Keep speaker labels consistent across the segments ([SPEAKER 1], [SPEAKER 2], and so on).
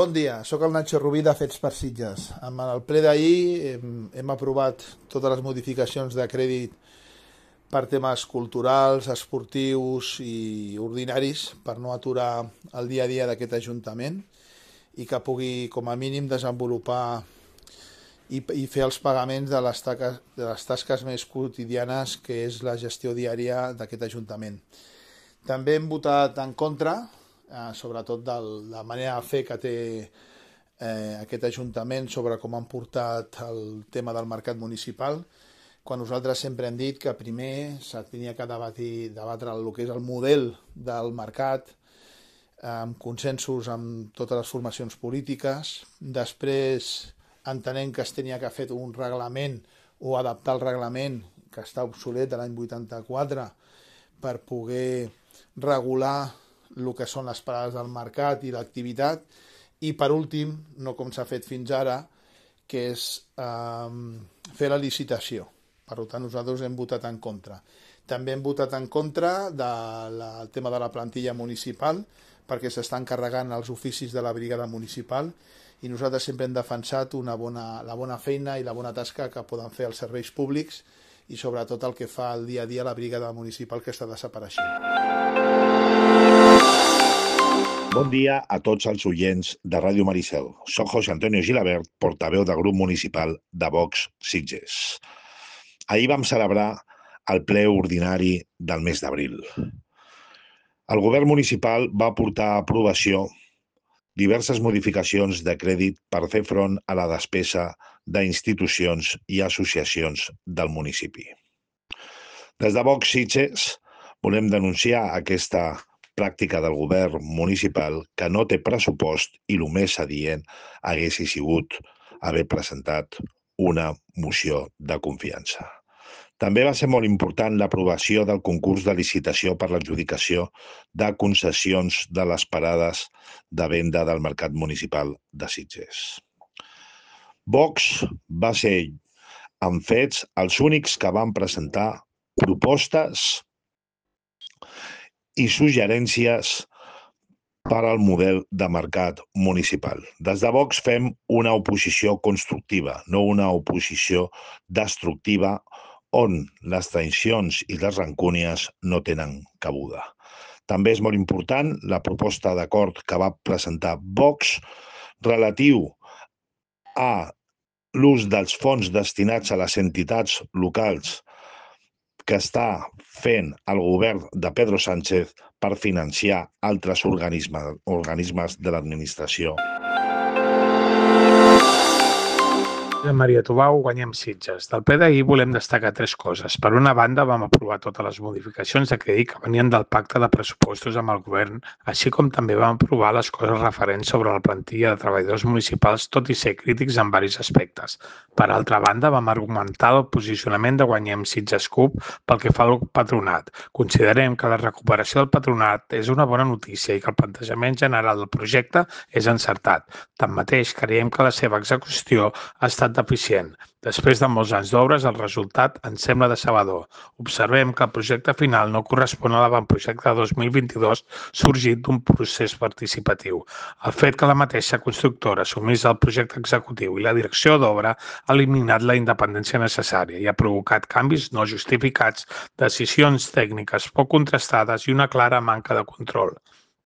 [SPEAKER 1] Bon dia, sóc el Nacho Rubí de Fets per Sitges. Amb el ple d'ahir hem aprovat totes les modificacions de crèdit per temes culturals, esportius i ordinaris per no aturar el dia a dia d'aquest Ajuntament i que pugui com a mínim desenvolupar i fer els pagaments de les tasques més quotidianes que és la gestió diària d'aquest Ajuntament. També hem votat en contra, sobretot de la manera de fer que té aquest Ajuntament sobre com han portat el tema del mercat municipal, quan nosaltres sempre hem dit que primer s'havia que debatre el que és el model del mercat, amb consensos amb totes les formacions polítiques. Després entenent que es tenia que fer un reglament o adaptar el reglament que està obsolet de l'any 84 per poder regular el que són les parades del mercat i l'activitat, i per últim, no com s'ha fet fins ara, que és fer la licitació. Per tant, nosaltres hem votat en contra. També hem votat en contra del tema de la plantilla municipal, perquè s'estan carregant els oficis de la brigada municipal, i nosaltres sempre hem defensat la bona feina i la bona tasca que poden fer els serveis públics i sobretot el que fa el dia a dia la brigada municipal, que està desapareixent.
[SPEAKER 2] Bon dia a tots els oients de Ràdio Maricel. Soc José Antonio Gilabert, portaveu del grup municipal de Vox Sitges. Ahir vam celebrar el ple ordinari del mes d'abril. El govern municipal va portar a aprovació diverses modificacions de crèdit per fer front a la despesa d'institucions i associacions del municipi. Des de Vox Sitges volem denunciar aquesta pràctica del govern municipal que no té pressupost i el més adient hagués sigut haver presentat una moció de confiança. També va ser molt important l'aprovació del concurs de licitació per l'adjudicació de concessions de les parades de venda del mercat municipal de Sitges. Vox va ser, en fets, els únics que van presentar propostes i suggerències per al model de mercat municipal. Des de Vox fem una oposició constructiva, no una oposició destructiva on les tensions i les rancúnies no tenen cabuda. També és molt important la proposta d'acord que va presentar Vox relatiu a l'ús dels fons destinats a les entitats locals que està fent el govern de Pedro Sánchez per financiar altres organismes de l'administració.
[SPEAKER 3] Maria Tubau, guanyem Sitges. Del ple d'ahir volem destacar tres coses. Per una banda, vam aprovar totes les modificacions de crèdit que venien del pacte de pressupostos amb el govern, així com també vam aprovar les coses referents sobre la plantilla de treballadors municipals, tot i ser crítics en diversos aspectes. Per altra banda, vam argumentar el posicionament de Guanyem Sitges CUP pel que fa al patronat. Considerem que la recuperació del patronat és una bona notícia i que el plantejament general del projecte és encertat. Tanmateix, creiem que la seva execució ha estat deficient. Després de molts anys d'obres, el resultat ens sembla decebedor. Observem que el projecte final no correspon a l'avantprojecte de 2022 sorgit d'un procés participatiu. El fet que la mateixa constructora assumís el projecte executiu i la direcció d'obra ha eliminat la independència necessària i ha provocat canvis no justificats, decisions tècniques poc contrastades i una clara manca de control.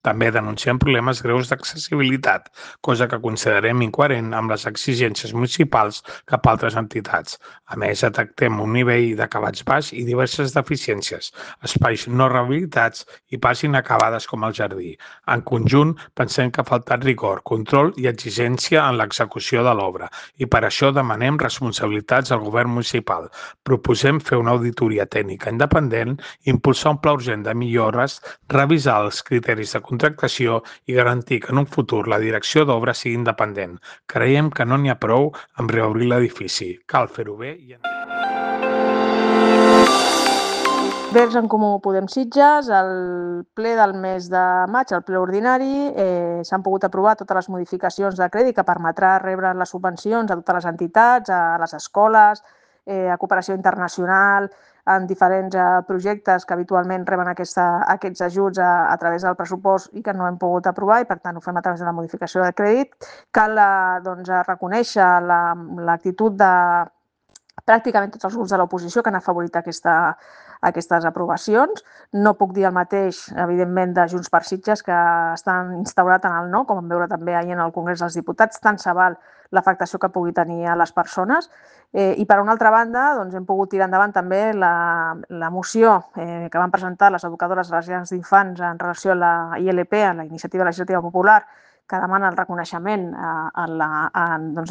[SPEAKER 3] També denunciem problemes greus d'accessibilitat, cosa que considerem incoherent amb les exigències municipals cap a altres entitats. A més, detectem un nivell d'acabats baix i diverses deficiències, espais no rehabilitats i parts inacabades com el jardí. En conjunt, pensem que ha faltat rigor, control i exigència en l'execució de l'obra i per això demanem responsabilitats al govern municipal. Proposem fer una auditoria tècnica independent, impulsar un pla urgent de millores, revisar els criteris de contractació i garantir que en un futur la direcció d'obra sigui independent. Creiem que no n'hi ha prou amb reobrir l'edifici. Cal fer-ho bé i...
[SPEAKER 4] Vers en Comú Podem Sitges, el ple del mes de maig, el ple ordinari, s'han pogut aprovar totes les modificacions de crèdit que permetrà rebre les subvencions a totes les entitats, a les escoles, a cooperació internacional, en diferents projectes que habitualment reben aquests ajuts a través del pressupost i que no hem pogut aprovar i per tant ho fem a través de la modificació de crèdit. Cal reconèixer l'actitud de pràcticament tots els grups de l'oposició que han afavorit aquestes aprovacions. No puc dir el mateix, evidentment, de Junts per Sitges, que estan instaurat en el no, com vam veure també ahir en el Congrés dels Diputats, tant se val l'afectació que pugui tenir a les persones. I per una altra banda, doncs, hem pogut tirar endavant també la moció que van presentar les educadores de les llars d'infants en relació a la ILP, a la Iniciativa Legislativa Popular, que demana el reconeixement a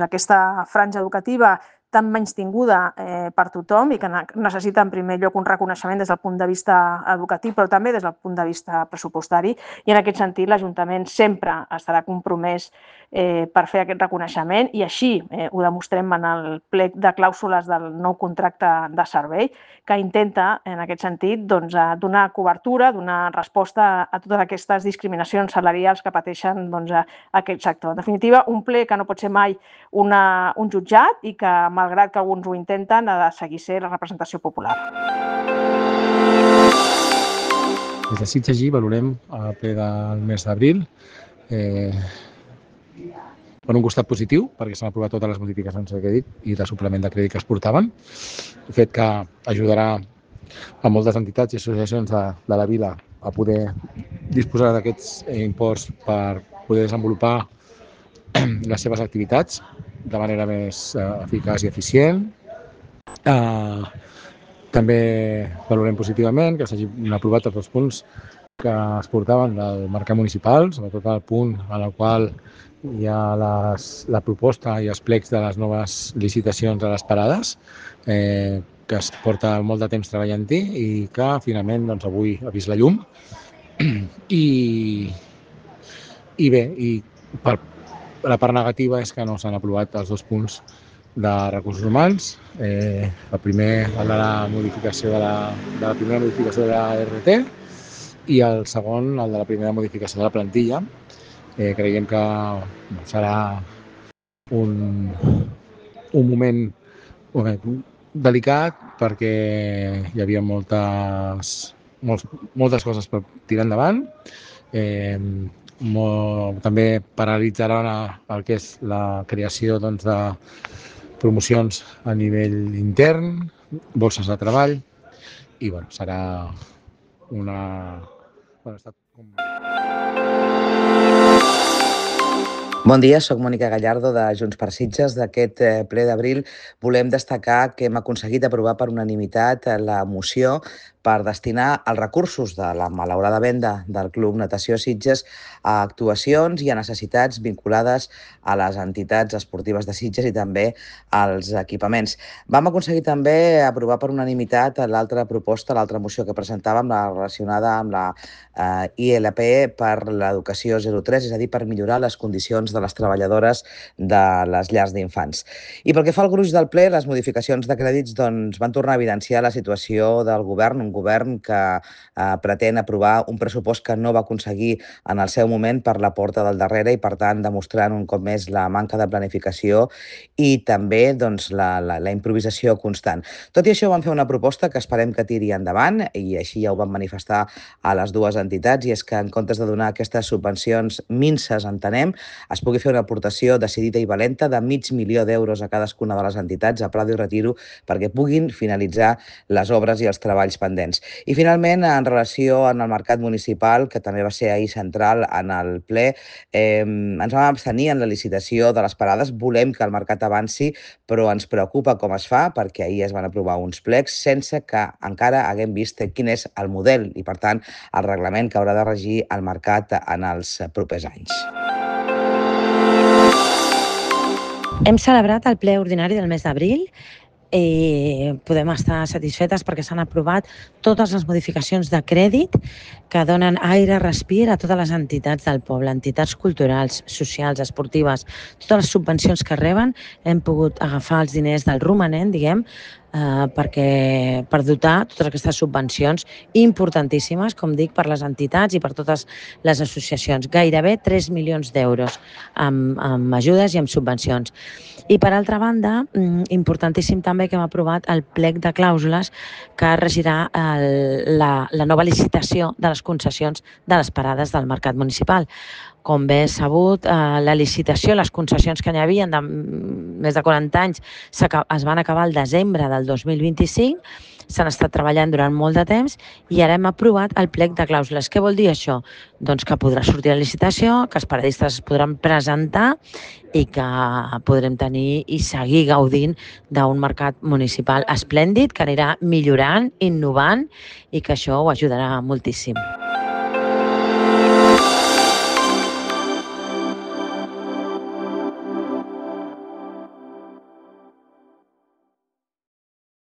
[SPEAKER 4] aquesta franja educativa tan menystinguda per tothom i que necessita en primer lloc un reconeixement des del punt de vista educatiu, però també des del punt de vista pressupostari. I en aquest sentit l'Ajuntament sempre estarà compromès per fer aquest reconeixement i així ho demostrem en el plec de clàusules del nou contracte de servei, que intenta en aquest sentit donar cobertura, donar resposta a totes aquestes discriminacions salarials que pateixen aquest sector. En definitiva, un ple que no pot ser mai un jutjat i que, malgrat que alguns ho intenten, ha de seguir sent la representació popular.
[SPEAKER 5] Des de Sitges valorem el ple del mes d'abril per un costat positiu, perquè s'han aprovat totes les modificacions de crèdit i de suplement de crèdit que es portaven, fet que ajudarà a moltes entitats i associacions de la vila a poder disposar d'aquests imports per poder desenvolupar les seves activitats de manera més eficaç i eficient. També valorem positivament que s'hagin aprovat tots els punts que es portaven del mercat municipal, sobretot el punt en el qual hi ha la proposta i els plecs de les noves licitacions a les parades, que es porta molt de temps treballant-hi i que finalment avui ha vist la llum. I bé, per la part negativa és que no s'han aprovat els 2 punts de recursos humans. El primer, el de la modificació de la primera modificació de la RT i el segon, el de la primera modificació de la plantilla. Creiem que serà un moment delicat perquè hi havia moltes coses per tirar endavant. També paralitzaran el que és la creació de promocions a nivell intern, borses de treball i serà una...
[SPEAKER 6] Bon dia, soc Mònica Gallardo de Junts per Sitges. D'aquest ple d'abril volem destacar que hem aconseguit aprovar per unanimitat la moció per destinar els recursos de la malaurada venda del Club Natació Sitges a actuacions i a necessitats vinculades a les entitats esportives de Sitges i també als equipaments. Vam aconseguir també aprovar per unanimitat l'altra proposta, l'altra moció que presentàvem, la relacionada amb la ILP per l'educació 03, és a dir, per millorar les condicions de les treballadores de les llars d'infants. I pel que fa al gruix del ple, les modificacions de crèdits van tornar a evidenciar la situació del govern, un govern que pretén aprovar un pressupost que no va aconseguir en el seu moment per la porta del darrere i, per tant, demostrant un cop més la manca de planificació i també la improvisació constant. Tot i això, vam fer una proposta que esperem que tiri endavant i així ja ho vam manifestar a les dues entitats, i és que en comptes de donar aquestes subvencions minses, entenem, es pugui fer una aportació decidida i valenta de $500.000 a cadascuna de les entitats a Prado i Retiro perquè puguin finalitzar les obres i els treballs pendents. I finalment, en relació amb el mercat municipal, que també va ser ahir central en el ple, ens vam abstenir en la licitació de les parades. Volem que el mercat avanci, però ens preocupa com es fa, perquè ahir es van aprovar uns plecs sense que encara haguem vist quin és el model i, per tant, el reglament que haurà de regir el mercat en els propers anys.
[SPEAKER 7] Hem celebrat el ple ordinari del mes d'abril i podem estar satisfetes perquè s'han aprovat totes les modificacions de crèdit que donen aire, respir a totes les entitats del poble, entitats culturals, socials, esportives, totes les subvencions que reben. Hem pogut agafar els diners del romanent, per dotar totes aquestes subvencions importantíssimes, com dic, per les entitats i per totes les associacions. Gairebé 3 milions d'euros amb ajudes i amb subvencions. I per altra banda, importantíssim també que hem aprovat el plec de clàusules que regirà la nova licitació de les concessions de les parades del mercat municipal. Com bé és sabut, la licitació, les concessions que n'hi havia de més de 40 anys es van acabar al desembre del 2025, s'han estat treballant durant molt de temps i ara hem aprovat el plec de clàusules. Què vol dir això? Doncs que podrà sortir la licitació, que els paradistes es podran presentar i que podrem tenir i seguir gaudint d'un mercat municipal esplèndid que anirà millorant, innovant i que això ho ajudarà moltíssim.